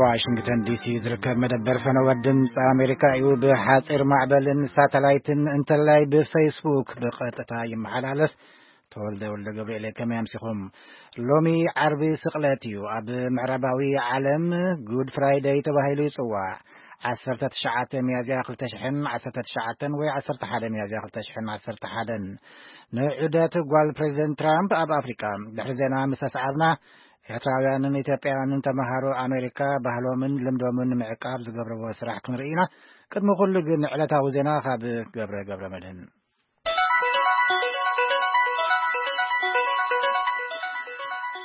ዋሽንግተን ዲሲ ዝርከብ መደበር ፈነወ ድምፂ ኣሜሪካ እዩ። ብሓፂር ማዕበልን ሳተላይትን እንተላይ ብፌስቡክ ብቐጥታ ይመሓላለፍ። ተወልደ ወልደ ገብርኤል፣ ከመይ ኣምሲኹም? ሎሚ ዓርቢ ስቕለት እዩ። ኣብ ምዕራባዊ ዓለም ጉድ ፍራይደይ ተባሂሉ ይጽዋዕ። ዓሰርተ ትሽዓተ ሚያዝያ ክልተ ሽሕን ዓሰርተ ትሽዓተን ወይ ዓሰርተ ሓደ ሚያዝያ ክልተ ሽሕን ዓሰርተ ሓደን ንዑደት ጓል ፕሬዚደንት ትራምፕ ኣብ ኣፍሪቃ። ድሕሪ ዜና ምስ ኣስዓብና፣ ኤርትራውያንን ኢትዮጵያውያንን ተመሃሮ ኣሜሪካ ባህሎምን ልምዶምን ንምዕቃብ ዝገብርዎ ስራሕ ክንርኢ ኢና። ቅድሚ ኩሉ ግን ዕለታዊ ዜና ካብ ገብረ ገብረ መድህን።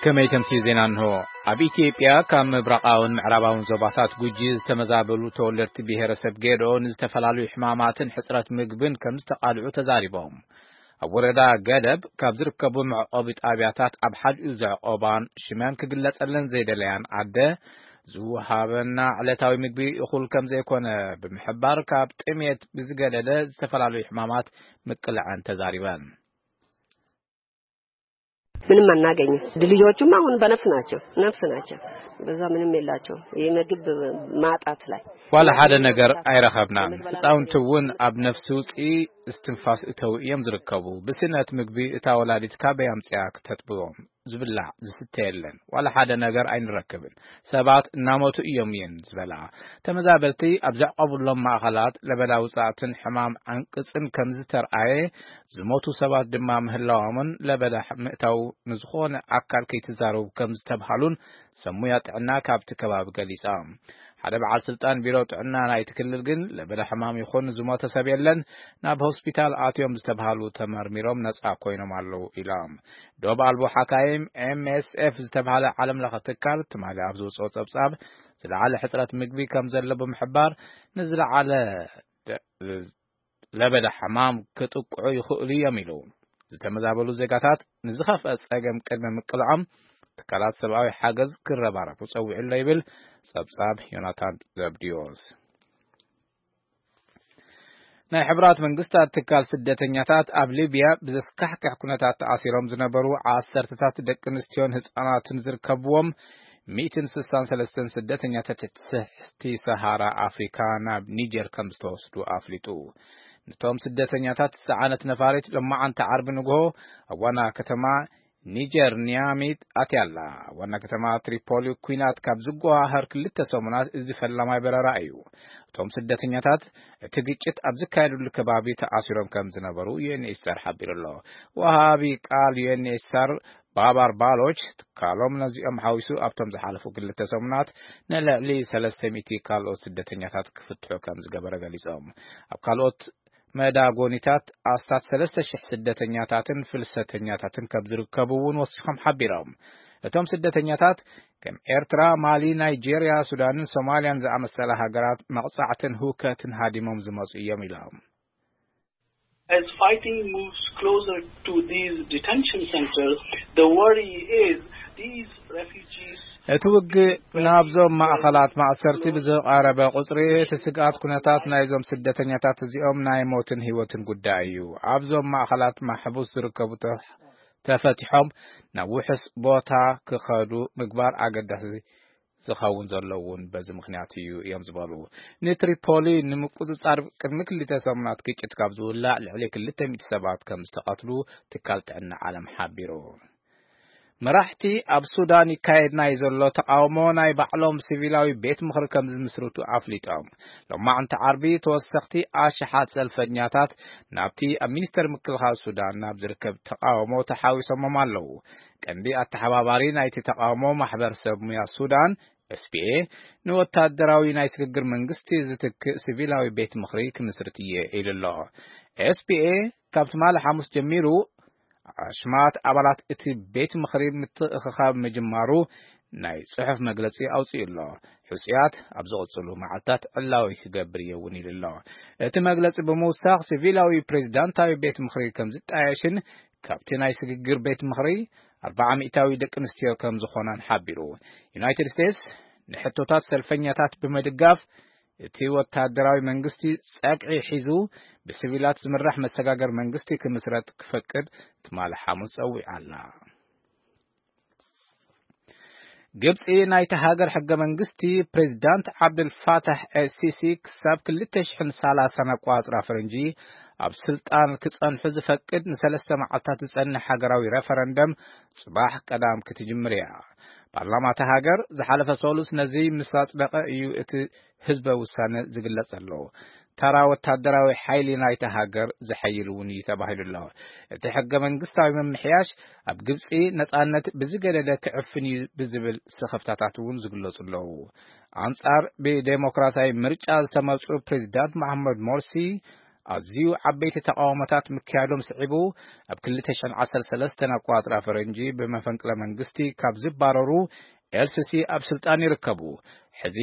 ከመይ ተምሲ ዜና እንሆ። ኣብ ኢትዮጵያ ካብ ምብራቓውን ምዕራባውን ዞባታት ጉጂ ዝተመዛበሉ ተወለድቲ ብሄረሰብ ጌዶ ንዝተፈላለዩ ሕማማትን ሕፅረት ምግብን ከም ዝተቓልዑ ተዛሪቦም። ኣብ ወረዳ ገደብ ካብ ዝርከቡ መዕቆቢ ጣብያታት ኣብ ሓዲኡ ዘዕቆባን ሽመን ክግለጸለን ዘይደለያን ኣደ ዝወሃበና ዕለታዊ ምግቢ እኹል ከም ዘይኮነ ብምሕባር፣ ካብ ጥሜት ብዝገደደ ዝተፈላለዩ ሕማማት ምቅላዐን ተዛሪበን። ምንም አናገኝም። ልጆቹም አሁን በነፍስ ናቸው፣ ነፍስ ናቸው። በዛ ምንም የላቸው። የምግብ ማጣት ላይ ዋላ ሓደ ነገር ኣይረኸብናን። ህፃውንቲ እውን ኣብ ነፍሲ ውፅኢ እስትንፋስ እተው እዮም ዝርከቡ። ብስእነት ምግቢ እታ ወላዲት ካበይ ኣምፅያ ክተጥብቦም? ዝብላዕ ዝስተ የለን። ዋላ ሓደ ነገር ኣይንረክብን። ሰባት እናሞቱ እዮም እየን ዝበላ። ተመዛበልቲ ኣብ ዘዕቆብሎም ማእኸላት ለበዳ ውፃእትን ሕማም ዓንቅፅን ከም ዝተርኣየ፣ ዝሞቱ ሰባት ድማ ምህላዎምን ለበዳ ምእታው ንዝኾነ ኣካል ከይትዛረቡ ከም ዝተብሃሉን ሰብ ሙያ ጥዕና ካብቲ ከባቢ ገሊፆም። ሓደ በዓል ስልጣን ቢሮ ጥዕና ናይቲ ክልል ግን ለበዳ ሕማም ይኹን ዝሞተ ሰብ የለን፣ ናብ ሆስፒታል ኣትዮም ዝተብሃሉ ተመርሚሮም ነፃ ኮይኖም ኣለዉ ኢሎም። ዶብ ኣልቦ ሓካይም ኤምኤስኤፍ ዝተብሃለ ዓለም ለኸ ትካል ትማሊ ኣብ ዝወፅኦ ፀብፃብ፣ ዝለዓለ ሕፅረት ምግቢ ከም ዘሎ ብምሕባር፣ ንዝለዓለ ደ- ለበዳ ሕማም ክጥቅዑ ይኽእሉ እዮም ኢሉ። ዝተመዛበሉ ዜጋታት ንዝኸፍአ ጸገም ቅድሚ ምቅልዖም፣ ትካላት ሰብኣዊ ሓገዝ ክረባረፉ ጸዊዑ ኣሎ ይብል ጸብጻብ ዮናታን ዘብድዮስ። ናይ ሕብራት መንግስታት ትካል ስደተኛታት ኣብ ሊብያ ብዘስካሕክሕ ኩነታት ተኣሲሮም ዝነበሩ ዓሰርተታት ደቂ ኣንስትዮን ህጻናትን ዝርከብዎም ሚእትን ስሳን ሰለስተን ስደተኛታት ትሕቲ ሰሃራ ኣፍሪካ ናብ ኒጀር ከም ዝተወስዱ ኣፍሊጡ። ነቶም ስደተኛታት ዝጸዓነት ነፋሪት ሎማዓንቲ ዓርቢ ንግሆ ኣብ ዋና ከተማ ኒጀር ኒያሚ ኣትያ ኣላ። ኣብ ዋና ከተማ ትሪፖሊ ኲናት ካብ ዝጓሃር ክልተ ሰሙናት እዚ ፈላማይ በረራ እዩ። እቶም ስደተኛታት እቲ ግጭት ኣብ ዝካየደሉ ከባቢ ተኣሲሮም ከም ዝነበሩ ዩኤንኤችሲኣር ሓቢሩ ኣሎ። ወሃቢ ቃል ዩኤንኤችሲኣር ባባር ባሎች ትካሎም ነዚኦም ሓዊሱ ኣብቶም ዝሓለፉ ክልተ ሰሙናት ንልዕሊ ሰለስተ ሚእቲ ካልኦት ስደተኛታት ክፍትሑ ከም ዝገበረ ገሊጾም። ኣብ ካልኦት መዳጎኒታት ኣስታት ሰለስተ ሽሕ ስደተኛታትን ፍልሰተኛታትን ከም ዝርከቡ እውን ወሲኾም ሓቢሮም። እቶም ስደተኛታት ከም ኤርትራ፣ ማሊ፣ ናይጄርያ፣ ሱዳንን ሶማልያን ዝኣመሰላ ሃገራት መቕጻዕትን ህውከትን ሃዲሞም ዝመጹ እዮም ኢሎም። As fighting moves closer to these detention centers, the worry is these refugees እቲ ውግእ ናብዞም ማእኸላት ማእሰርቲ ብዝቐረበ ቁፅሪ፣ እቲ ስግኣት ኩነታት ናይዞም ስደተኛታት እዚኦም ናይ ሞትን ህይወትን ጉዳይ እዩ። ኣብዞም ማእኸላት ማሕቡስ ዝርከቡ ተፈቲሖም ናብ ውሑስ ቦታ ክኸዱ ምግባር ኣገዳሲ ዝኸውን ዘሎ እውን በዚ ምኽንያት እዩ እዮም ዝበሉ። ንትሪፖሊ ንምቁፅፃር ቅድሚ ክልተ ሰሙናት ግጭት ካብ ዝውላዕ ልዕሊ ክልተ ሚእቲ ሰባት ከም ዝተቐትሉ ትካል ጥዕና ዓለም ሓቢሩ። መራሕቲ ኣብ ሱዳን ይካየድ ናይ ዘሎ ተቓውሞ ናይ ባዕሎም ሲቪላዊ ቤት ምኽሪ ከም ዝምስርቱ ኣፍሊጦም። ሎማዕንቲ ዓርቢ ተወሰኽቲ ኣሽሓት ሰልፈኛታት ናብቲ ኣብ ሚኒስተር ምክልኻል ሱዳን ናብ ዝርከብ ተቓውሞ ተሓዊሶሞም ኣለዉ። ቀንዲ ኣተሓባባሪ ናይቲ ተቓውሞ ማሕበር ሰብ ሙያ ሱዳን ኤስፒኤ ንወታደራዊ ናይ ስግግር መንግስቲ ዝትክእ ሲቪላዊ ቤት ምኽሪ ክምስርት እየ ኢሉ ኣሎ። ኤስፒኤ ካብ ትማሊ ሓሙስ ጀሚሩ ኣሽማት ኣባላት እቲ ቤት ምኽሪ ምትእኽኻብ ምጅማሩ ናይ ጽሑፍ መግለጺ ኣውጺኡ ኣሎ። ሕጹያት ኣብ ዝቕጽሉ መዓልታት ዕላዊ ክገብር እየ እውን ኢሉ ኣሎ። እቲ መግለጺ ብምውሳኽ ሲቪላዊ ፕሬዚዳንታዊ ቤት ምኽሪ ከም ዝጣየሽን ካብቲ ናይ ስግግር ቤት ምኽሪ ኣርባዓ ሚእታዊ ደቂ ኣንስትዮ ከም ዝኾናን ሓቢሩ። ዩናይትድ ስቴትስ ንሕቶታት ሰልፈኛታት ብምድጋፍ እቲ ወታደራዊ መንግስቲ ጸግዒ ሒዙ ብሲቪላት ዝምራሕ መሰጋገር መንግስቲ ክምስረት ክፈቅድ ትማሊ ሓሙስ ጸዊዓ ኣላ። ግብጺ ናይቲ ሃገር ሕገ መንግስቲ ፕሬዚዳንት ዓብደል ፋታሕ ኤልሲሲ ክሳብ ክልተ ሽሕን ሰላሳን ኣቋጽራ ፈረንጂ ኣብ ስልጣን ክጸንሑ ዝፈቅድ ንሰለስተ መዓልታት ዝጸንሕ ሃገራዊ ሬፈረንደም ጽባሕ ቀዳም ክትጅምር እያ። ፓርላማ እታ ሃገር ዝሓለፈ ሰሉስ ነዚ ምስ ኣጽደቐ እዩ እቲ ህዝበ ውሳነ ዝግለጽ ዘሎ። ተራ ወታደራዊ ሓይሊ ናይታ ሃገር ዝሐይል እውን እዩ ተባሂሉ ኣሎ። እቲ ሕገ መንግስታዊ ምምሕያሽ ኣብ ግብጺ ነጻነት ብዝገደደ ክዕፍን እዩ ብዝብል ስኽፍታታት እውን ዝግለጹ ኣለዉ። ኣንጻር ብዴሞክራሲያዊ ምርጫ ዝተመርጹ ፕሬዚዳንት መሓመድ ሞርሲ ኣዝዩ ዓበይቲ ተቃውሞታት ምክያዶም ስዒቡ ኣብ ክልተ ሽሕን ዓሰርተ ሰለስተን ኣቋጽራ ፈረንጂ ብመፈንቅለ መንግስቲ ካብ ዝባረሩ ኤልሲሲ ኣብ ስልጣን ይርከቡ። ሕዚ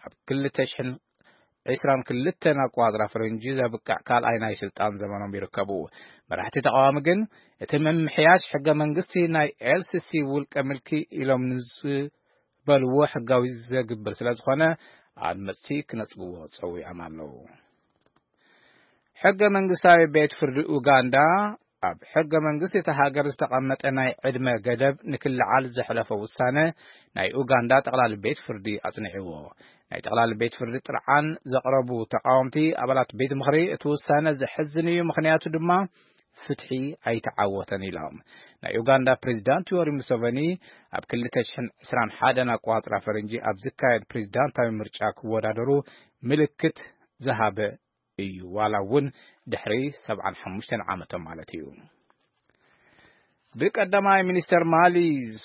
ኣብ ክልተ ሽሕን ዕስራን ክልተን ኣቋጽራ ፈረንጂ ዘብቅዕ ካልኣይ ናይ ስልጣን ዘመኖም ይርከቡ። መራሕቲ ተቃዋሚ ግን እቲ ምምሕያሽ ሕገ መንግስቲ ናይ ኤልሲሲ ውልቀ ምልኪ ኢሎም ንዝበልዎ ሕጋዊ ዘግብር ስለ ዝኾነ ኣድመፅቲ ክነጽግዎ ጸዊዖም ኣለዉ። ሕገ መንግስታዊ ቤት ፍርዲ ኡጋንዳ ኣብ ሕገ መንግስቲ እቲ ሃገር ዝተቐመጠ ናይ ዕድመ ገደብ ንክልዓል ዘሕለፎ ውሳነ ናይ ኡጋንዳ ጠቕላሊ ቤት ፍርዲ ኣጽኒዕዎ። ናይ ጠቕላሊ ቤት ፍርዲ ጥርዓን ዘቕረቡ ተቃወምቲ ኣባላት ቤት ምኽሪ እቲ ውሳነ ዘሕዝን እዩ፣ ምኽንያቱ ድማ ፍትሒ ኣይተዓወተን ኢሎም። ናይ ኡጋንዳ ፕሬዚዳንት ዮሪ ሙሰቨኒ ኣብ ክልተ ሽሕን ዕስራን ሓደን ኣቋጽራ ፈረንጂ ኣብ ዝካየድ ፕሬዚዳንታዊ ምርጫ ክወዳደሩ ምልክት ዝሃበ እዩ፣ ዋላ እውን ድሕሪ ሰብዓን ሓሙሽተን ዓመቶም ማለት እዩ። ብቀዳማይ ሚኒስተር ማሊ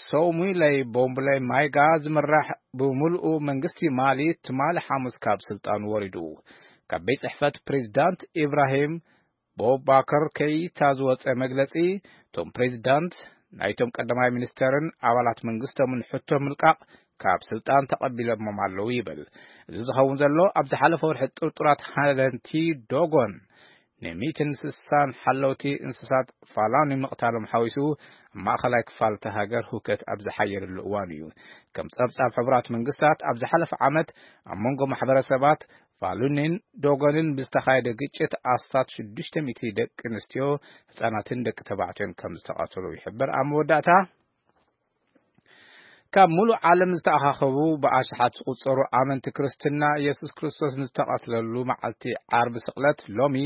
ሶሙለይ ቦምቡለይ ማይጋ ዝምራሕ ብምሉኡ መንግስቲ ማሊ ትማሊ ሓሙስ ካብ ስልጣኑ ወሪዱ። ካብ ቤት ጽሕፈት ፕሬዚዳንት ኢብራሂም ቦባከር ከይታ ዝወጸ መግለጺ፣ እቶም ፕሬዚዳንት ናይቶም ቀዳማይ ሚኒስተርን ኣባላት መንግስቶምን ሕቶ ምልቃቕ ካብ ስልጣን ተቐቢሎሞም ኣለዉ ይብል። እዚ ዝኸውን ዘሎ ኣብ ዝሓለፈ ወርሒ ጥርጡራት ሃለንቲ ዶጎን ንሚእትን ስሳን ሓለውቲ እንስሳት ፋላኒ ምቕታሎም ሓዊሱ ኣብ ማእኸላይ ክፋል እታ ሃገር ሁከት ኣብ ዝሓየለሉ እዋን እዩ። ከም ጸብጻብ ሕቡራት መንግስታት ኣብ ዝሓለፈ ዓመት ኣብ መንጎ ማሕበረሰባት ፋሉኒን ዶጎንን ብዝተኻየደ ግጭት ኣስታት ሽዱሽተ ሚእቲ ደቂ ኣንስትዮ፣ ህጻናትን ደቂ ተባዕትዮን ከም ዝተቐተሉ ይሕበር። ኣብ መወዳእታ ካብ ሙሉእ ዓለም ዝተኣኻኸቡ ብኣሽሓት ዝቑጸሩ ኣመንቲ ክርስትና የሱስ ክርስቶስ ንዝተቐትለሉ መዓልቲ ዓርቢ ስቕለት ሎሚ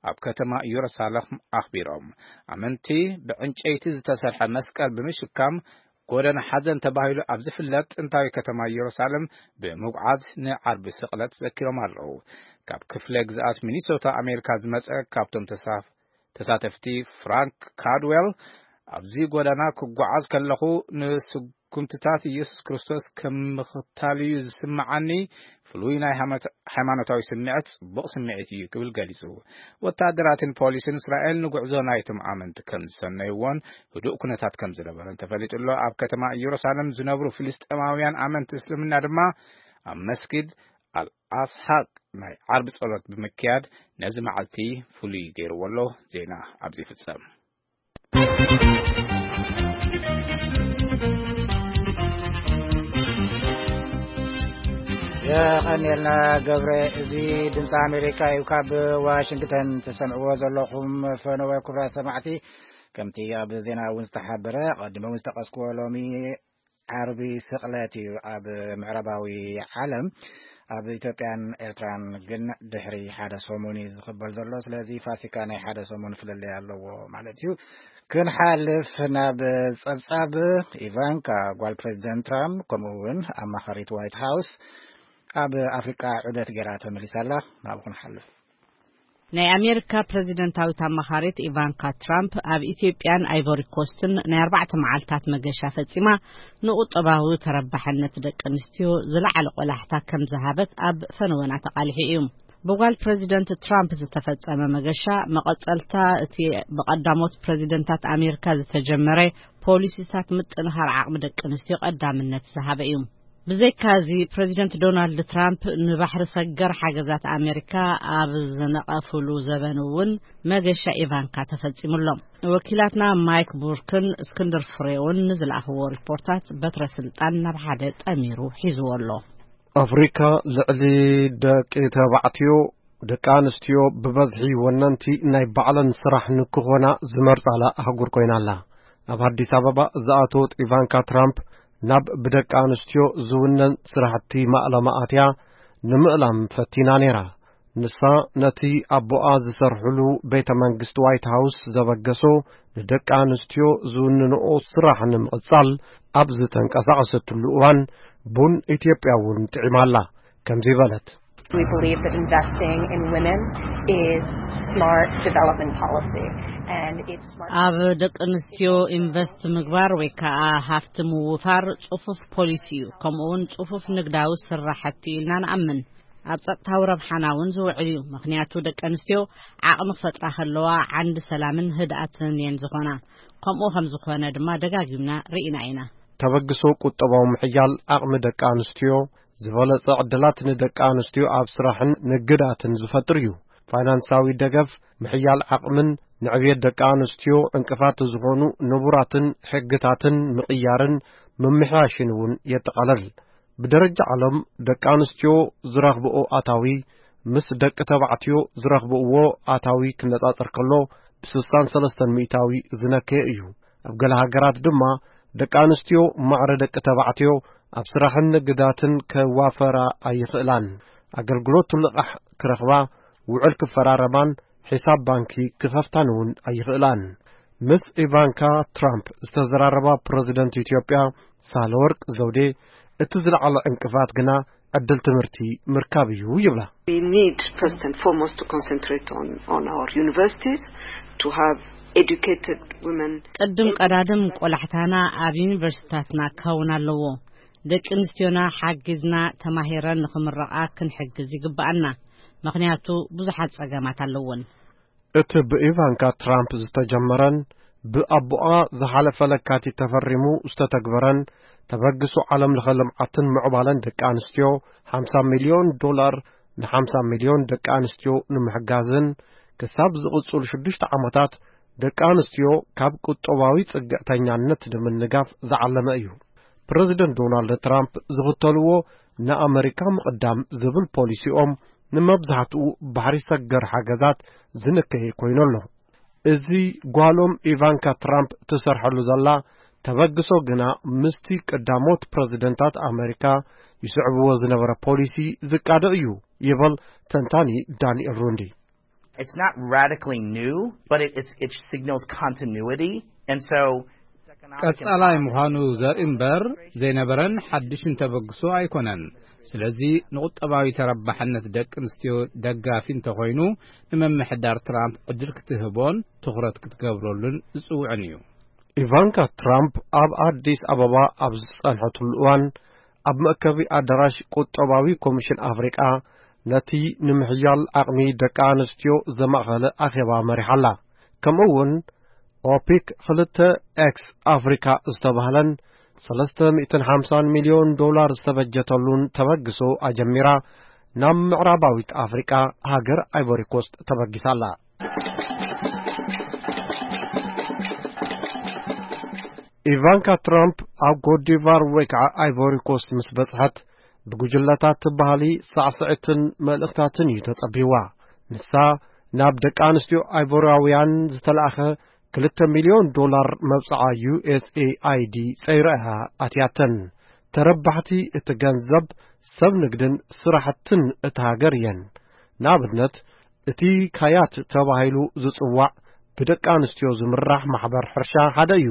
ኣብ ከተማ ኢየሩሳሌም ኣኽቢሮም። ኣመንቲ ብዕንጨይቲ ዝተሰርሐ መስቀል ብምሽካም ጎደና ሓዘን ተባሂሉ ኣብ ዝፍለጥ ጥንታዊ ከተማ ኢየሩሳሌም ብምጉዓዝ ንዓርቢ ስቕለት ዘኪሮም ኣለዉ። ካብ ክፍለ ግዝኣት ሚኒሶታ ኣሜሪካ ዝመጸ ካብቶም ተሳፍ-፣ ተሳተፍቲ ፍራንክ ካድዌል፣ ኣብዚ ጎደና ክጓዓዝ ከለኹ ንስጉምትታት ኢየሱስ ክርስቶስ ከም ምኽታል እዩ ዝስምዓኒ፣ ፍሉይ ናይ ሃመት-፣ ሃይማኖታዊ ስምዒት ጽቡቕ ስምዒት እዩ ክብል ገሊጹ። ወታደራትን ፖሊስን እስራኤል ንጉዕዞ ናይቶም ኣመንቲ ከም ዝሰነይዎን ህዱእ ኩነታት ከም ዝነበረን ተፈሊጡ ኣሎ። ኣብ ከተማ ኢየሩሳሌም ዝነብሩ ፍልስጤማውያን ኣመንቲ እስልምና ድማ ኣብ መስጊድ ኣልኣስሓቅ ናይ ዓርቢ ጸሎት ብምክያድ ነዚ መዓልቲ ፍሉይ ገይርዎ ኣሎ። ዜና ኣብዚ ይፍጸም። የቐንየልና ገብረ። እዚ ድምፂ ኣሜሪካ እዩ። ካብ ዋሽንግተን ትሰምዕዎ ዘለኹም ፈነወ። ክቡራት ሰማዕቲ፣ ከምቲ ኣብ ዜና እውን ዝተሓበረ፣ ቀዲመ እውን ዝጠቐስክዎ፣ ሎሚ ዓርቢ ስቕለት እዩ ኣብ ምዕራባዊ ዓለም። ኣብ ኢትዮጵያን ኤርትራን ግን ድሕሪ ሓደ ሰሙን እዩ ዝኽበር ዘሎ። ስለዚ ፋሲካ ናይ ሓደ ሰሙን ፍልልይ ኣለዎ ማለት እዩ። ክንሓልፍ ናብ ጸብጻብ፣ ኢቫንካ ጓል ፕሬዚደንት ትራምፕ፣ ከምኡ እውን ኣማኻሪት ዋይት ሃውስ፣ ኣብ ኣፍሪቃ ዑደት ገይራ ተመሊሳ ኣላ። ናብኡ ክንሓልፍ። ናይ ኣሜሪካ ፕሬዚደንታዊት ኣማኻሪት ኢቫንካ ትራምፕ ኣብ ኢትዮጵያን ኣይቮሪ ኮስትን ናይ ኣርባዕተ መዓልታት መገሻ ፈጺማ፣ ንቁጠባዊ ተረባሕነት ደቂ ኣንስትዮ ዝለዓለ ቆላሕታ ከም ዝሃበት ኣብ ፈነወና ተቓሊሑ እዩ። ብጓል ፕሬዚደንት ትራምፕ ዝተፈጸመ መገሻ፣ መቐጸልታ እቲ ብቐዳሞት ፕሬዚደንታት ኣሜሪካ ዝተጀመረ ፖሊሲታት ምጥንኻር ዓቕሚ ደቂ ኣንስትዮ ቀዳምነት ዝሃበ እዩ። ብዘይካዚ፣ ፕሬዚደንት ዶናልድ ትራምፕ ንባሕሪ ሰገር ሓገዛት ኣሜሪካ ኣብ ዝነቐፍሉ ዘበን እውን መገሻ ኢቫንካ ተፈጺሙ ኣሎ። ወኪላትና ማይክ ቡርክን እስክንድር ፍሬውን ንዝለኣኽዎ ሪፖርታት በትረ ስልጣን ናብ ሓደ ጠሚሩ ሒዝዎ ኣሎ። ኣፍሪካ ልዕሊ ደቂ ተባዕትዮ፣ ደቂ ኣንስትዮ ብበዝሒ ወነንቲ ናይ ባዕለን ስራሕ ንክኾና ዝመርጻላ ኣህጉር ኮይና ኣላ። ኣብ ኣዲስ ኣበባ ዝኣተወት ኢቫንካ ትራምፕ ናብ ብደቂ ኣንስትዮ ዝውነን ስራሕቲ ማእለማ ኣትያ ንምእላም ፈቲና ነይራ። ንሳ ነቲ ኣቦኣ ዝሰርሕሉ ቤተ መንግስቲ ዋይት ሃውስ ዘበገሶ ንደቂ ኣንስትዮ ዝውንንኦ ስራሕ ንምቕጻል ኣብ ዝተንቀሳቐሰትሉ እዋን፣ ቡን ኢትዮጵያ እውን ጥዒማ ኣላ። ከምዚ በለት። We believe that investing in women is smart development policy, and it's smart. ኣብ ደቂ ኣንስትዮ ኢንቨስት ምግባር ወይ ከዓ ሃፍቲ ምውፋር ጽፉፍ ፖሊሲ እዩ። ከምኡ እውን ጽፉፍ ንግዳዊ ስራሕቲ ኢልና ንኣምን። ኣብ ጸጥታዊ ረብሓና እውን ዝውዕል እዩ። ምኽንያቱ ደቂ ኣንስትዮ ዓቕሚ ክፈጥራ ከለዋ ዓንዲ ሰላምን ህድኣትን እየን ዝኾና። ከምኡ ከም ዝኾነ ድማ ደጋጊምና ርኢና ኢና። ተበግሶ ቁጠባዊ ምሕያል ዓቕሚ ደቂ ኣንስትዮ፣ ዝበለጸ ዕድላት ንደቂ ኣንስትዮ ኣብ ስራሕን ንግዳትን ዝፈጥር እዩ። ፋይናንሳዊ ደገፍ፣ ምሕያል ዓቕምን ንዕብየት ደቂ ኣንስትዮ ዕንቅፋት ዝኾኑ ንቡራትን ሕግታትን ምቕያርን ምምሕያሽን እውን የጠቓለል። ብደረጃ ዓለም ደቂ ኣንስትዮ ዝረኽብኦ ኣታዊ ምስ ደቂ ተባዕትዮ ዝረኽብዎ ኣታዊ ክነጻጸር ከሎ ብ63% ዝነከየ እዩ። ኣብ ገለ ሃገራት ድማ ደቂ ኣንስትዮ ማዕረ ደቂ ተባዕትዮ ኣብ ስራሕን ንግዳትን ከዋፈራ ኣይኽእላን። ኣገልግሎት ልቓሕ ክረኽባ፣ ውዕል ክፈራረማን ሒሳብ ባንኪ ክኸፍታን እውን ኣይኽእላን። ምስ ኢቫንካ ትራምፕ ዝተዘራረባ ፕረዚደንት ኢትዮጵያ ሳህለወርቅ ዘውዴ፣ እቲ ዝለዓለ ዕንቅፋት ግና ዕድል ትምህርቲ ምርካብ እዩ ይብላ። We need first and foremost to concentrate on, on our universities, to have educated women. ቅድም ቀዳድም ቆላሕታና ኣብ ዩኒቨርሲቲታትና ክኸውን ኣለዎ። ደቂ ኣንስትዮና ሓጊዝና ተማሂረን ንኽምረቓ ክንሕግዝ ይግብኣና። ምኽንያቱ ብዙሓት ጸገማት ኣለዎን። እቲ ብኢቫንካ ትራምፕ ዝተጀመረን ብኣቦኣ ዝሓለፈ ለካቲት ተፈሪሙ ዝተተግበረን ተበግሶ ዓለም ለኸ ልምዓትን ምዕባለን ደቂ ኣንስትዮ፣ ሓምሳ ሚልዮን ዶላር ን50 ሚልዮን ደቂ ኣንስትዮ ንምሕጋዝን ክሳብ ዝቕጽሉ ሽዱሽተ ዓመታት ደቂ ኣንስትዮ ካብ ቁጠባዊ ጽግዕተኛነት ንምንጋፍ ዝዓለመ እዩ። ፕረዚደንት ዶናልድ ትራምፕ ዝኽተልዎ ንኣመሪካ ምቕዳም ዝብል ፖሊሲኦም ንመብዛሕትኡ ባሕሪ ሰገር ሓገዛት ዝንከየ ኮይኑ ኣሎ። እዚ ጓሎም ኢቫንካ ትራምፕ ትሰርሐሉ ዘላ ተበግሶ ግና ምስቲ ቀዳሞት ፕረዚደንታት ኣመሪካ ይስዕብዎ ዝነበረ ፖሊሲ ዝቃዶ እዩ ይብል ተንታኒ ዳንኤል ሩንዲ። It's not radically new, but it, it's, it signals continuity. And so, ቀጻላይ ምዃኑ ዘርኢ እምበር ዘይነበረን ሓድሽን ተበግሶ ኣይኮነን። ስለዚ ንቁጠባዊ ተረባሕነት ደቂ ኣንስትዮ ደጋፊ እንተኾይኑ፣ ንምምሕዳር ትራምፕ ዕድል ክትህቦን ትኹረት ክትገብረሉን ዝጽውዕን እዩ። ኢቫንካ ትራምፕ ኣብ ኣዲስ ኣበባ ኣብ ዝጸንሐትሉ እዋን፣ ኣብ መእከቢ ኣዳራሽ ቁጠባዊ ኮሚሽን ኣፍሪቃ ነቲ ንምሕያል ዓቕሚ ደቂ ኣንስትዮ ዘማእኸለ ኣኼባ መሪሓ ኣላ። ከምኡ እውን ኦፒክ ክልተ ኤክስ ኣፍሪካ ዝተባህለን ሰለስተ ሚእትን ሓምሳን ሚልዮን ዶላር ዝተበጀተሉን ተበግሶ ኣጀሚራ ናብ ምዕራባዊት ኣፍሪቃ ሃገር ኣይቮሪ ኮስት ተበጊሳ ኣላ። ኢቫንካ ትራምፕ ኣብ ኮትዲቫር ወይ ከዓ ኣይቮሪ ኮስት ምስ በጽሐት፣ ብጉጅለታት ባህሊ፣ ሳዕስዒትን መልእኽታትን እዩ ተጸቢዋ። ንሳ ናብ ደቂ ኣንስትዮ ኣይቮራውያን ዝተላእኸ ክልተ ሚልዮን ዶላር መብጽዓ ዩ ኤስ ኤ ኣይ ዲ ጸይራ እያ ኣትያተን። ተረባሕቲ እቲ ገንዘብ ሰብ ንግድን ስራሕትን እታ ሃገር እየን። ንኣብነት፣ እቲ ካያት ተባሂሉ ዝጽዋዕ ብደቂ ኣንስትዮ ዝምራሕ ማሕበር ሕርሻ ሓደ እዩ።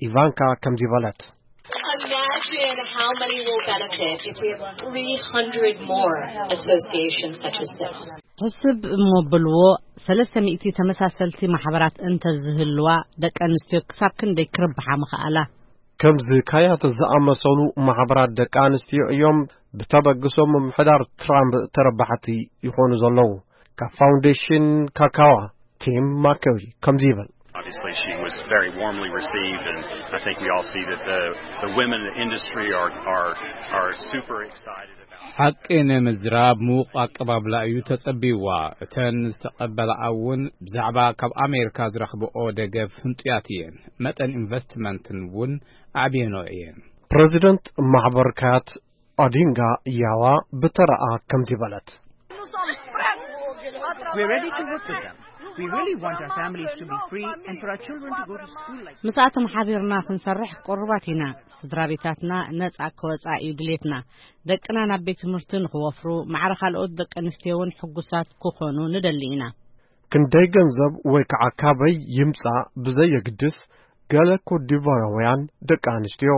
ኢቫንካ ከምዚ በለት። Imagine how many will benefit if we have three hundred more associations such as this. ሕስብ እሞ በልዎ፣ ሰለስተ ሚእቲ ተመሳሰልቲ ማሕበራት እንተዝህልዋ፣ ደቂ ኣንስትዮ ክሳብ ክንደይ ክርብሓ ምኽኣላ? ከምዚ ካያት ዝኣመሰሉ ማሕበራት ደቂ ኣንስትዮ እዮም ብተበግሶ ምምሕዳር ትራምፕ ተረባሕቲ ይኾኑ ዘለዉ። ካብ ፋውንዴሽን ካካዋ ቲም ማከዊ ከምዚ ይብል። Obviously, she was very warmly received, and I think we all see that the, the women in the industry are, are, are super excited about. ሓቂ ንምዝራብ ምዉቕ ኣቀባብላ እዩ ተጸቢዋ። እተን ዝተቐበላኣ እውን ብዛዕባ ካብ ኣሜሪካ ዝረኽብኦ ደገፍ ህንጡያት እየን። መጠን ኢንቨስትመንትን እውን ኣዕብየንኦ እየን። ፕረዚደንት ማሕበር ካያት ኦዲንጋ ያዋ ብተራኣ ከምዚ በለት። We're ready to work with them. We really want our families to be free and for our children to go to school like ምስኣቶም ሓቢርና ክንሰርሕ ቅሩባት ኢና። ስድራ ቤታትና ነጻ ክወጻ እዩ ድሌትና። ደቅና ናብ ቤት ትምህርቲ ንኽወፍሩ፣ ማዕረ ካልኦት ደቂ ኣንስትዮ እውን ሕጉሳት ክኾኑ ንደሊ ኢና። ክንደይ ገንዘብ ወይ ከዓ ካበይ ይምጻእ ብዘየግድስ፣ ገለ ኮትዲቫራውያን ደቂ ኣንስትዮ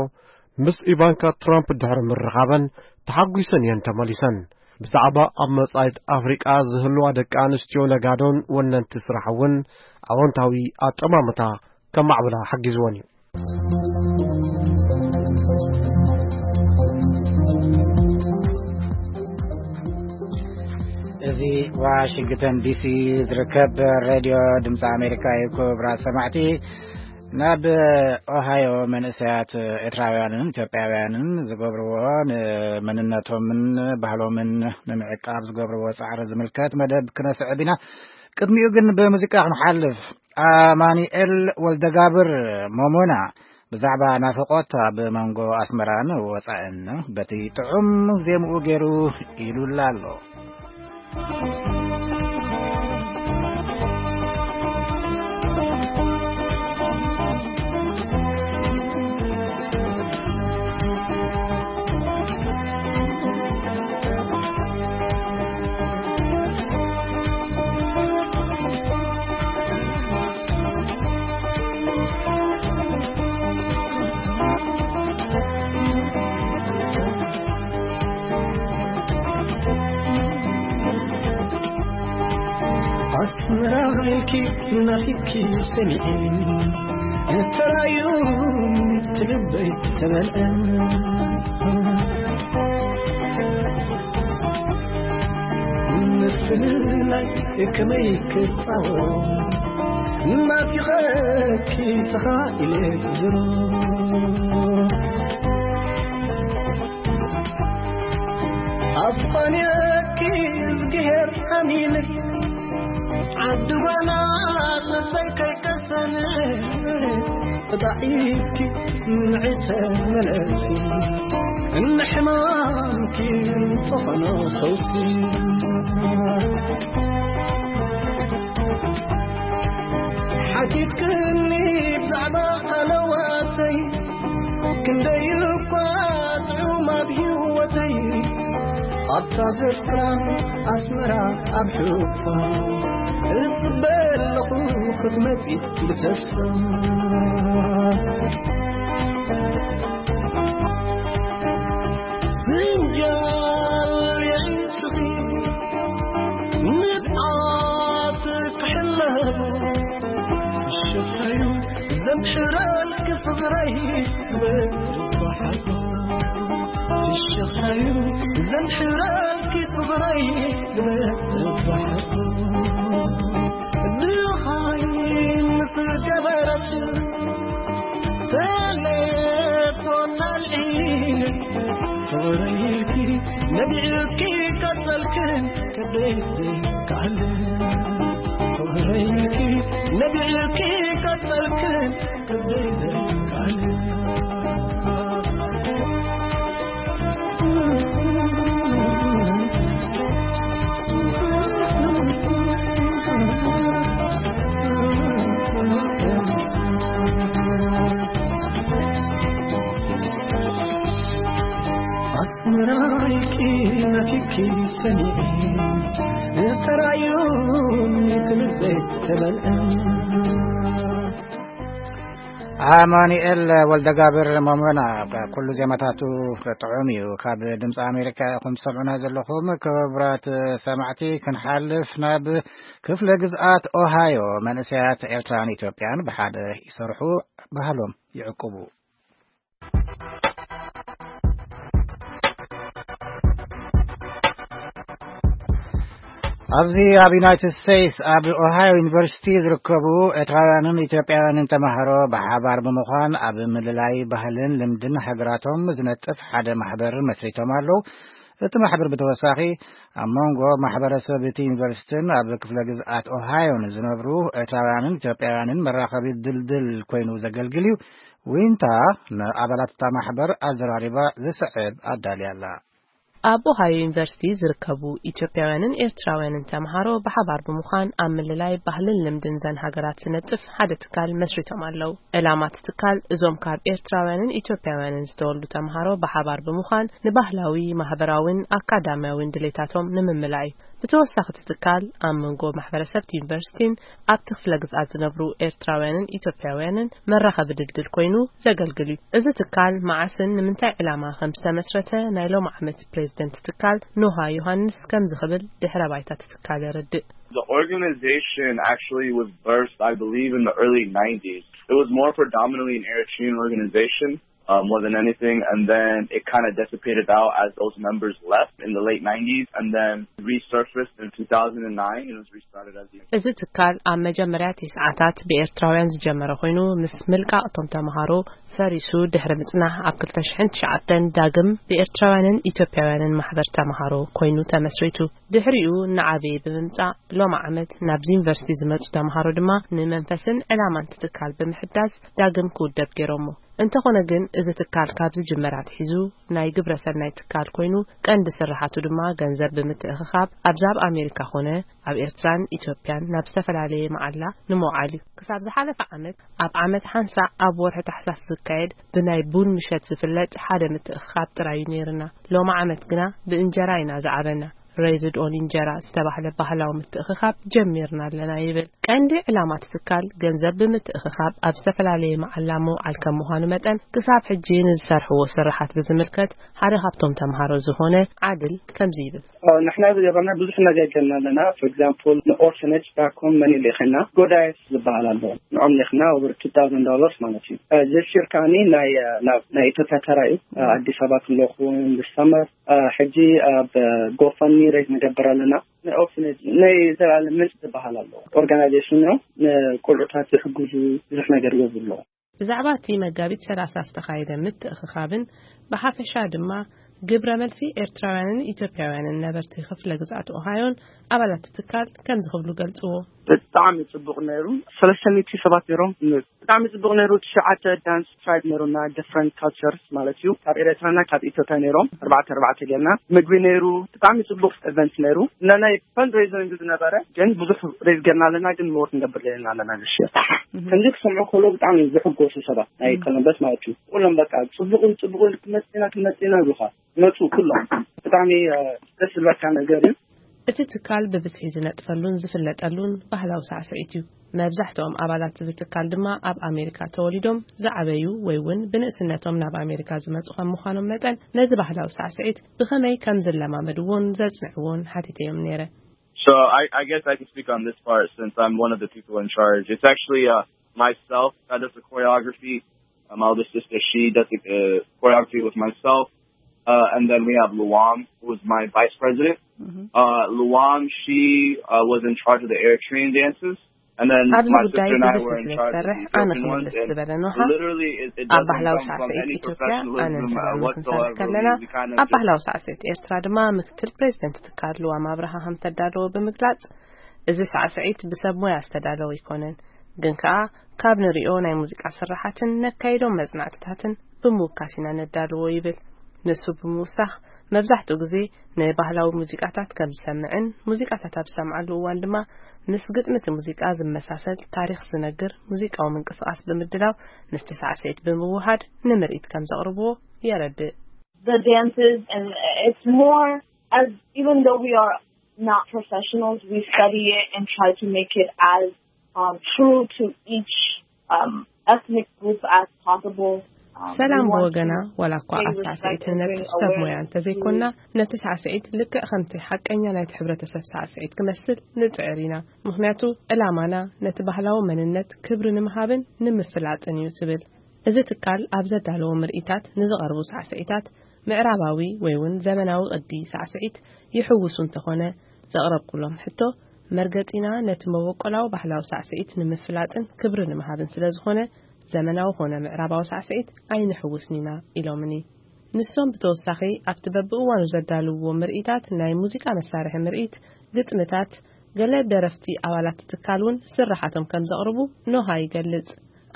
ምስ ኢቫንካ ትራምፕ ድሕሪ ምርኻበን ተሓጒሰን እየን ተመሊሰን። ብዛዕባ ኣብ መጻኢት ኣፍሪቃ ዝህልዋ ደቂ ኣንስትዮ ነጋዶን ወነንቲ ስራሕ እውን ኣወንታዊ ኣጠማምታ ከማዕብላ ሓጊዝወን እዩ። እዚ ዋሽንግተን ዲሲ ዝርከብ ሬድዮ ድምፂ ኣሜሪካ እዩ። ክቡራት ሰማዕቲ፣ ናብ ኦሃዮ መንእሰያት ኤርትራውያንን ኢትዮጵያውያንን ዝገብርዎ ንመንነቶምን ባህሎምን ንምዕቃብ ዝገብርዎ ጻዕሪ ዝምልከት መደብ ክነስዕብ ኢና። ቅድሚኡ ግን ብሙዚቃ ክንሓልፍ። ኣማኑኤል ወልደጋብር ሞሞና ብዛዕባ ናፍቖት ኣብ መንጎ ኣስመራን ወጻእን በቲ ጥዑም ዜምኡ ገይሩ ኢሉላ ኣሎ። ኣስመራ ኢልኪ ናፊኪ ሰሚዒ፣ ተራዩ ትልበይ ተመልአ። ምፍልላይ ከመይ ክጻወ፣ ናፊቐኪ ተኻኢለ ዝሮ። ኣፋንየኪ እዝግሄር ሓሚልክ፣ ዓዲ ጓና ልበይ ከይቀሰን፣ ተባዒትኪ ንዒ ተመለሲ፣ እንሕማምኪ ዝኾኖ ፈውሲ። ሓቲትክኒ ብዛዕባ ሃለዋተይ፣ ክንደይ እኳ ጥዑም ኣብ ህይወተይ፣ ኣብታ ዘፍራ ኣስመራ ኣብ ሕፋ እጽበ ኣለኹ ክትመጺ ብተስፋ። ፍንጃል የዒንትኺ ንብዓት ክሕለቡ፣ ሽታዩ ዘምሕረልኪ ፍቕረይ ክበርባሓሉ። ሽታዩ ዘምሕረልኪ ፍቕረይ ክበርባሓሉ። ድኻይ ምስ ገበረት ተሌፎን ኣልዒለ፣ ፍቕረይኪ ነቢዕኪ ቀጸልክን ከደይ ዘይከኣል። ፍቕረይኪ ነቢዕኪ ቀጸልክን ከደይ ዘይከኣል። ኣስመራይኪ ናፊኪ ሰኒዒ፣ ተራዩኒ ትልበይ ተበልዐ። ኣማኑኤል ወልደጋብር መሞና፣ ኩሉ ዜማታቱ ጥዑም እዩ። ካብ ድምፂ ኣሜሪካ ኢኹም ትሰምዑና ዘለኹም። ክቡራት ሰማዕቲ፣ ክንሓልፍ ናብ ክፍለ ግዝኣት ኦሃዮ። መንእሰያት ኤርትራን ኢትዮጵያን ብሓደ ይሰርሑ፣ ባህሎም ይዕቅቡ። ኣብዚ ኣብ ዩናይትድ ስቴትስ ኣብ ኦሃዮ ዩኒቨርሲቲ ዝርከቡ ኤርትራውያንን ኢትዮጵያውያንን ተማሃሮ ብሓባር ብምዃን ኣብ ምልላይ ባህልን ልምድን ሃገራቶም ዝነጥፍ ሓደ ማሕበር መስሪቶም ኣለዉ። እቲ ማሕበር ብተወሳኺ ኣብ መንጎ ማሕበረሰብ እቲ ዩኒቨርሲቲን ኣብ ክፍለ ግዝኣት ኦሃዮን ዝነብሩ ኤርትራውያንን ኢትዮጵያውያንን መራኸቢ ድልድል ኮይኑ ዘገልግል እዩ። ዊንታ ንኣባላት እታ ማሕበር ኣዘራሪባ ዝስዕብ ኣዳልያ ኣላ። ኣብ ኦሃዮ ዩኒቨርሲቲ ዝርከቡ ኢትዮጵያውያንን ኤርትራውያንን ተምሃሮ ብሓባር ብምዃን ኣብ ምልላይ ባህልን ልምድን ዘን ሃገራት ዝነጥፍ ሓደ ትካል መስሪቶም ኣለዉ። ዕላማ እቲ ትካል እዞም ካብ ኤርትራውያንን ኢትዮጵያውያንን ዝተወልዱ ተምሃሮ ብሓባር ብምዃን ንባህላዊ፣ ማህበራውን ኣካዳሚያውን ድሌታቶም ንምምላእ እዩ። ብተወሳኺ እቲ ትካል ኣብ መንጎ ማሕበረሰብ እቲ ዩኒቨርሲቲን ኣብቲ ክፍለ ግዝኣት ዝነብሩ ኤርትራውያንን ኢትዮጵያውያንን መራኸቢ ድልድል ኮይኑ ዘገልግል እዩ። እዚ ትካል መዓስን ንምንታይ ዕላማ ከም ዝተመስረተ ናይ ሎም ዓመት ፕሬዝደንት ትካል ኖሃ ዮሃንስ ከምዚ ክብል ድሕረ ባይታ እቲ ትካል የረድእ። The organization actually was birthed, I believe, in the early nineties. It was more predominantly an Eritrean organization, uh, more than anything, and then it kind of dissipated out as those members left in the late nineties, and then resurfaced in two thousand nine and was restarted as the እዚ ትካል ኣብ መጀመርያ ቲስዓታት ብኤርትራውያን ዝጀመረ ኮይኑ፣ ምስ ምልቃቕ እቶም ተምሃሮ ፈሪሱ ድሕሪ ምጽናሕ፣ ኣብ ክልተ ሽሕን ትሽዓተን ዳግም ብኤርትራውያንን ኢትዮጵያውያንን ማሕበር ተምሃሮ ኮይኑ ተመስሪቱ። ድሕሪኡ እናዓበየ ብምምጻእ፣ ሎም ዓመት ናብዚ ዩኒቨርሲቲ ዝመጹ ተምሃሮ ድማ ንመንፈስን ዕላማን እቲ ትካል ብምሕዳስ ዳግም ክውደብ ገይሮሞ። እንተኾነ ግን፣ እዚ ትካል ካብ ዝጅመር ኣትሒዙ ናይ ግብረ ሰናይ ትካል ኮይኑ፣ ቀንዲ ስራሓቱ ድማ ገንዘብ ብምትእኽኻብ ኣብዛ ኣብ ኣሜሪካ ኾነ ኣብ ኤርትራን ኢትዮጵያን ናብ ዝተፈላለየ መዓላ ንምውዓል እዩ። ክሳብ ዝሓለፈ ዓመት፣ ኣብ ዓመት ሓንሳእ ኣብ ወርሒ ታሕሳስ ዝካየድ ብናይ ቡን ምሸት ዝፍለጥ ሓደ ምትእኽኻብ ጥራይ እዩ ነይርና። ሎም ዓመት ግና ብእንጀራ ኢና ዝዓበና። Raised on እንጀራ ዝተባህለ ባህላዊ ምትእኽኻብ ጀሚርና ኣለና ይብል። ቀንዲ ዕላማ እቲ ትካል ገንዘብ ብምትእኽኻብ ኣብ ዝተፈላለየ መዓላ ምውዓል ከም ምዃኑ መጠን፣ ክሳብ ሕጂ ንዝሰርሕዎ ስራሓት ብዝምልከት ሓደ ካብቶም ተምሃሮ ዝኾነ ዓድል ከምዚ ይብል። ኦ፣ ንሕና ዝገበርና ብዙሕ ነገር ጌርና ኣለና። For example፣ ንኦርፈነጅ ባኮም መን ልኢኽና፣ ጎዳይፍ ዝበሃል ኣሎ። ንዖም ልኢኽና over two thousand dollars ማለት እዩ። እ፣ this year ከኣኒ ናይ፣ እ፣ ናብ፣ ናይ ኢትዮጵያ ተራ እዩ። እ፣ ኣዲስ ኣበባ ክለኹ this summer፣ እ፣ ሕጂ ኣብ GoFundMe raise ንገብር ኣለና። ናይ ኦርፈነጅ ናይ ዘላለም ምንጭ ዝበሃል ኣሎ። ኦርጋናይዜሽን እዮም። ንቆልዑታት ዝሕግዙ ብዙሕ ነገር ይገብሩ ኣለዉ። ብዛዕባ እቲ መጋቢት ሰላሳ ዝተኻየደ ምትእኽኻብን ብሓፈሻ ድማ ግብረ መልሲ ኤርትራውያንን ኢትዮጵያውያንን ነበርቲ ክፍለ ግዝኣት ኦሃዮን ኣባላት እቲ ትካል ከምዚ ክብሉ ገልጽዎ። ብጣዕሚ ጽቡቕ ነይሩ። ሰለስተ ሚእቲ ሰባት ነይሮም። ብጣዕሚ ጽቡቕ ነይሩ። ትሽዓተ ዳንስ ትራይብ ነይሩና፣ different cultures ማለት እዩ። ካብ ኤርትራና ካብ ኢትዮጵያ ነይሮም። ኣርባዕተ ኣርባዕተ ጌርና። ምግቢ ነይሩ። ብጣዕሚ ጽቡቕ ኢቨንት ነይሩ። እና ናይ ፈንድሬዚንግ ዝነበረ ግን ብዙሕ ሬዝ ጌርና ኣለና፣ ግን ሞር ክንገብር ደሊና ኣለና this year። እህ። ከምዚ ክሰምዑ ከሎ ብጣዕሚ ዝሕጎሱ ሰባት ናይ እህ። ኮሎምበስ ማለት እዩ። ኩሎም በቃ ጽቡቕን ጽቡቕን ክመጽእና ክመጽእና ይብሉኻ። መጹ ኩሎም። ብጣዕሚ፣ እ፣ ደስ ዝብለካ ነገር እዩ። እቲ ትካል ብብዝሒ ዝነጥፈሉን ዝፍለጠሉን ባህላዊ ሳዕስዒት እዩ። መብዛሕትኦም ኣባላት እዚ ትካል ድማ ኣብ ኣሜሪካ ተወሊዶም ዝዓበዩ ወይ እውን ብንእስነቶም ናብ ኣሜሪካ ዝመጹ ከም ምዃኖም መጠን፣ ነዚ ባህላዊ ሳዕስዒት ብኸመይ ከም ዝለማመድዎን ዘጽንዕዎን ሓቲተዮም ነይረ። So I, I guess I can speak on this part since I'm one of the people in charge. It's actually, uh, myself that does the choreography. Uh, my older sister, she does the, uh, choreography with myself. Uh, and then we have Luam, who is my vice president. Mhm. Uh, Luam, she, uh, was in charge of the Eritrean dances. And then ኣብዚ my ጉዳይ sister and I ብብዝሒ were in charge of ዝሰርሕ the ኣነ Ethiopian ones. ክምልስ And ዝበለ ኖሃ፣ literally, it, it ኣብ doesn't ባህላዊ come from ሳዕስዒት any ኢትዮጵያ ኣነን professionalism, uh, ሰላምን ክንሰርሕ whatsoever. ከለና፣ We, we kind of ኣብ just ባህላዊ ሳዕስዒት ኤርትራ ድማ ምክትል ፕሬዚደንት ትካል ልዋም ኣብርሃ ከም ተዳለወ ብምግላጽ፣ እዚ ሳዕስዒት ብሰብ ሞያ ዝተዳለወ ኣይኮነን፣ ግን ከኣ ካብ ንሪኦ ናይ ሙዚቃ ስርሓትን ነካይዶም መጽናዕትታትን ብምውካስ ኢና ነዳልዎ ይብል። ንሱ ብምውሳኽ፣ መብዛሕትኡ ግዜ ንባህላዊ ሙዚቃታት ከም ዝሰምዕን፣ ሙዚቃታት ኣብ ዝሰምዓሉ እዋን ድማ ምስ ግጥሚ እቲ ሙዚቃ ዝመሳሰል ታሪኽ ዝነግር ሙዚቃዊ ምንቅስቓስ ብምድላው ምስቲ ሳዕስዒት ብምውሃድ ንምርኢት ከም ዘቕርብዎ የረድእ። The dances, and it's more as, even though we are not professionals, we study it and try to make it as, um, true to each, um, ethnic group as possible. Um, ሰላም we want ብወገና፣ to ዋላ እኳ pay ኣብ ሳዕስዒት respect and ንነጥፍ bring ሰብ ሞያ awareness እንተዘይኮንና፣ to ነቲ ሳዕስዒት ልክዕ ከምቲ ሓቀኛ ናይቲ ሕብረተሰብ ሳዕስዒት ክመስል ንጽዕር ኢና። ምኽንያቱ፣ ዕላማና ነቲ ባህላዊ መንነት ክብሪ ንምሃብን ንምፍላጥን እዩ ትብል። እዚ ትካል ኣብ ዘዳለዎ ምርኢታት ንዝቐርቡ ሳዕስዒታት ምዕራባዊ ወይ እውን ዘመናዊ ቅዲ ሳዕስዒት ይሕውሱ እንተኾነ፣ ዘቕረብኩሎም ሕቶ፣ መርገጺና ነቲ መበቆላዊ ባህላዊ ሳዕስዒት ንምፍላጥን ክብሪ ንምሃብን ስለ ዝኾነ፣ ዘመናዊ ኾነ ምዕራባዊ ሳዕስዒት ኣይንሕውስን ኢና ኢሎምኒ። ንሶም ብተወሳኺ ኣብቲ በብእዋኑ ዘዳልውዎ ምርኢታት ናይ ሙዚቃ መሳርሒ ምርኢት፣ ግጥምታት፣ ገለ ደረፍቲ ኣባላት ትካል እውን ስርሓቶም ከም ዘቕርቡ ኖሃ ይገልጽ።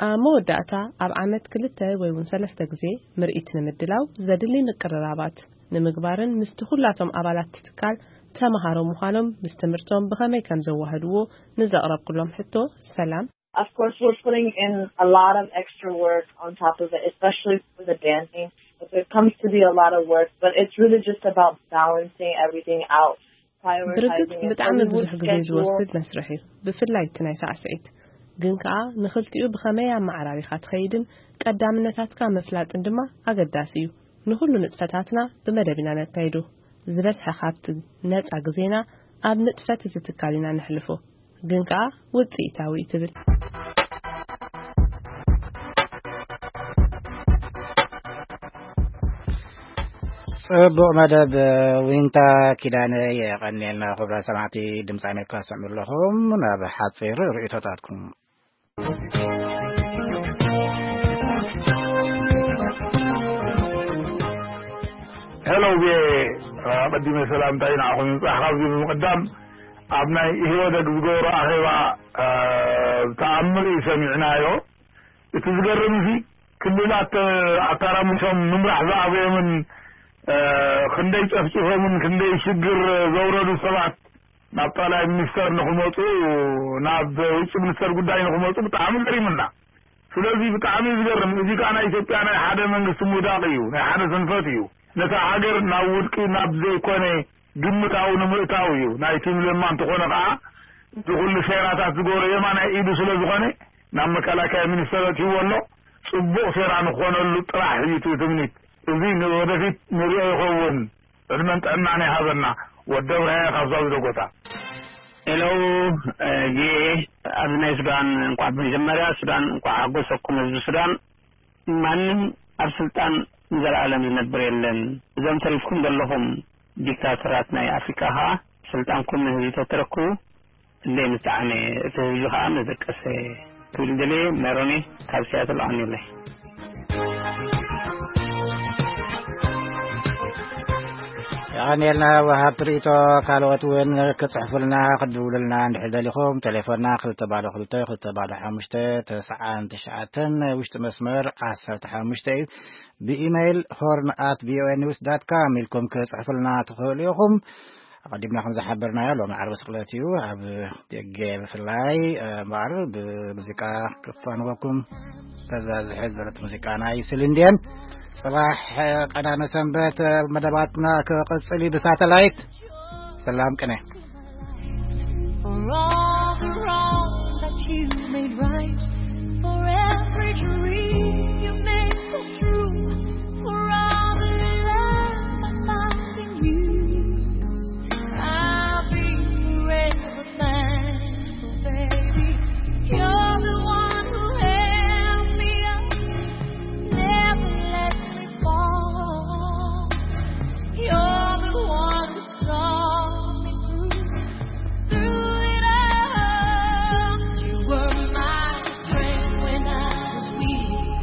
ኣብ መወዳእታ፣ ኣብ ዓመት ክልተ ወይ እውን ሰለስተ ግዜ ምርኢት ንምድላው ዘድሊ ምቅርራባት ንምግባርን ምስቲ ኩላቶም ኣባላት ትካል ተመሃሮ ምዃኖም ምስ ትምህርቶም ብኸመይ ከም ዘዋህድዎ ንዘቕረብኩሎም ሕቶ፣ ሰላም፣ Of course, we're putting in a lot of extra work on top of it, especially for the dancing. It comes to be a lot of work, but it's really just about balancing everything out. ብርግጽ ብጣዕሚ ብዙሕ ግዜ ዝወስድ መስርሕ እዩ፣ ብፍላይ እቲ ናይ ሳዕስዒት። ግን ከኣ ንኽልቲኡ ብኸመይ ኣመዓራሪኻ ትኸይድን ቀዳምነታትካ ምፍላጥን ድማ ኣገዳሲ እዩ። ንኹሉ ንጥፈታትና ብመደብ ኢና ነካይዶ። ዝበዝሐ ካብቲ ነጻ ግዜና ኣብ ንጥፈት እዚ ትካል ኢና ነሕልፎ። ግን ከኣ ውጽኢታዊ እዩ ትብል። ጽቡቕ መደብ። ዊንታ ኪዳነ፣ የቐንየልና። ክቡራት ሰማዕቲ፣ ድምፂ ኣሜሪካ ትሰምዑ ኣለኹም። ናብ ሓፂር ርእይቶታትኩም። ሄሎ፣ ኣቐዲመ ሰላምታይ ንዓኹም ይብጻሕ። ካብዚ ብምቕዳም፣ ኣብ ናይ ኢህወደግ ዝገበሮ ኣኼባ፣ እ፣ ተኣምር እዩ ሰሚዕናዮ። እቲ ዝገርም እዚ፣ ክልላት ኣተራሚሶም ምምራሕ ዝኣበዮምን፣ እ፣ ክንደይ ጨፍጭፎምን ክንደይ ሽግር ዘውረዱ ሰባት ናብ ጠቕላይ ሚኒስተር ንኽመጹ፣ ናብ ውጭ ሚኒስተር ጉዳይ ንኽመጹ ብጣዕሚ ገሪሙና። ስለዚ ብጣዕሚ እዩ ዝገርም። እዚ ከኣ ናይ ኢትዮጵያ ናይ ሓደ መንግስቲ ምውዳቕ እዩ፣ ናይ ሓደ ስንፈት እዩ። ነታ ሃገር ናብ ውድቂ፣ ናብ ዘይኮነ ግምታዊ ንምእታው እዩ። ናይ ቲም ለማ እንተኾነ ከኣ፣ እዚ ኩሉ ሴራታት ዝገበሮ የማናይ ኢዱ ስለ ዝኾነ፣ ናብ መከላከያ ሚኒስተር ኣእትይዎ ኣሎ። ጽቡቕ ሴራ ንኾነሉ ጥራሕ እዩ እቲ ትምኒት። እዚ ንወደፊት ንሪኦ ይኸውን። ዕድመን ጥዕናን ይሃበና። ወዲ ኣብርሃ ካብ ሳውዲ ደጎታ። ሄሎ፣ እ፣ ጌ፣ ኣብዚ ናይ ሱዳን እንኳዕ ብመጀመርያ ሱዳን እንኳዕ ሓጎሰኩም ህዝቢ ሱዳን። ማንም ኣብ ስልጣን ንዘለኣለም ዝነብር የለን። እዞም ተሪፍኩም ዘለኹም ዲክታተራት ናይ ኣፍሪቃ ኸኣ ስልጣንኩም ንህዝቢ ተተረክቡ እንደ ምጣዕነ እቲ ህዝቢ ኸኣ መደቀሰ። ትብል ደልየ። ሜሮኒ ካብ ሲያትል ኣንዩለይ። የቐንየልና ወሃብቲ ርእይቶ። ካልኦት እውን ክጽሕፉልና ክድውሉልና እንድሕር ደሊኹም፣ ቴሌፎንና ክልተ ባዶ ክልተ ክልተ ባዶ ሓሙሽተ ተስዓን ትሽዓተን፣ ውሽጢ መስመር ዓሰርተ ሓሙሽተ እዩ። ብኢሜይል ሆርን ኣት ቪኦኤ ኒውስ ዳት ካም ኢልኩም ክጽሕፉልና ትኽእሉ ኢኹም። ኣቐዲምና ከም ዝሓበርናዮ፣ ሎሚ ዓርቢ ስቕለት እዩ። ኣብ ደገ ብፍላይ፣ እ፣ እምበኣር ብሙዚቃ ክፋንወኩም ተዛዝሐ ዝበለት ሙዚቃ ናይ ስሊን ዲዮን። ጽባሕ፣ እ፣ ቀዳመ ሰንበት፣ እ፣ መደባትና ክቕጽል እዩ ብሳተላይት። ሰላም ቅነ። For all the wrong that you made right, for every dream you made come true, for all the love I found in you, I'll be forever thankful, baby. You're the one who held me up, never let me fall. You're the one who saw me through, through it all. You were my friend when I was weak.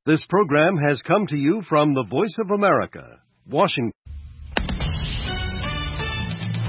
This program has come to you from the Voice of America, Washington.